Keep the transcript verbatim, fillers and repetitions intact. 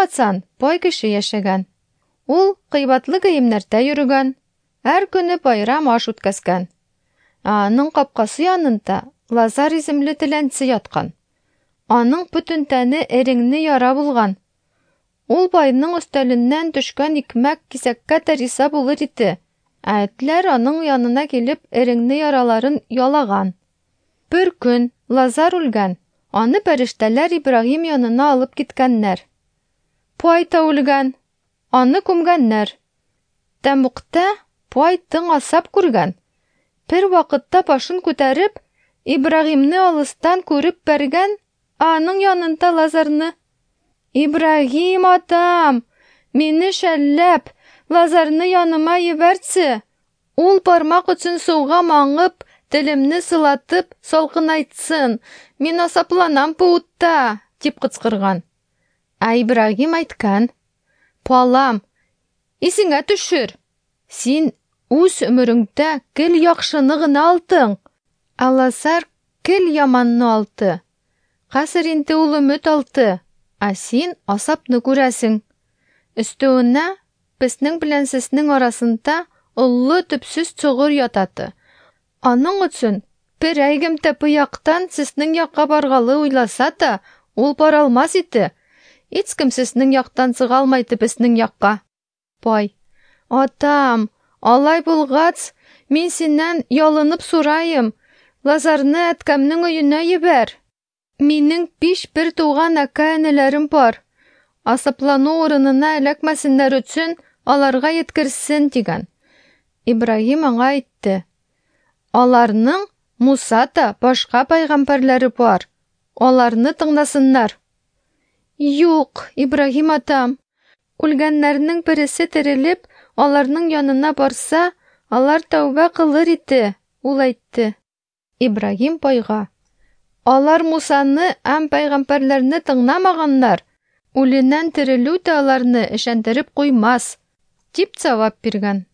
Әллә касан бай кеше яшәгән. Ул кыйбатлы киемнәрдә йөрегән, һәр көне байрам аш үткәзгән. Ә аның капкасы янында Лазар исемле теләнче яткан. Аның бөтен тәне эреңне яра булган. Ул байның өстәленнән төшкән икмәк кисәккә дә риза булыр иде. Ә этләр аның янына килеп эреңне яраларын ялаган. Бер көн Лазар үлгән. Аны фәрештәләр Ибраһим янына алып киткәннәр. Бай та үлгән. Аны күмгәннәр. Тәмугта бай тын асап күргән. Бер вакытта башын күтәреп, Ибраһимны алыстан күреп бәргән, ә аның янында Лазарны. Ибраһим атам, мине шәлләп, Лазарны яныма ебәртсе. Ул бармак очын суга маңып, телемне сылатып, салкынайтсын. Мин асапланам бу утта, дип кычкырган. Ә Ибраһим әйткән: "Балам, исеңә төшер. Син үз өмереңдә гел яхшыны гына алдың. Ә Лазар гел яманны алды. Хәзер инде ул өмет алды, ә син асапны күрәсең. Өстәвенә безнең белән сезнең арасында олы төпсез чоңгыл ятады. Аның өчен бер әйгем дә бу яктан сезнең якка баргалы уйласа да, ул бара алмас иде. Һичкем сезнең яктан чыга алмайды безнең якка. Бай: Атам, алай булгач, мин синнән ялынып сорайым, Лазарны әткәмнең өенә җибәр. Минем биш бер туган әкә-энеләрем бар. Асаплану урынына эләкмәсеннәр өчен аларга еткерсен дигән. Ибраһим аңа әйтте: Аларның Муса да башка пайгамбарлары бар. Аларны тыңласыннар. Юк, Ибраһим атам, үлгәннәрнең бересе терелеп, аларның янына барса, алар тәүбә кылыр иде, ул әйтте. Ибраһим байга: Алар Мусаны һәм пайгамбарларныаңламаганнар. Үленнән терелү дә аларны ышандырып куймас, дип җавап биргән.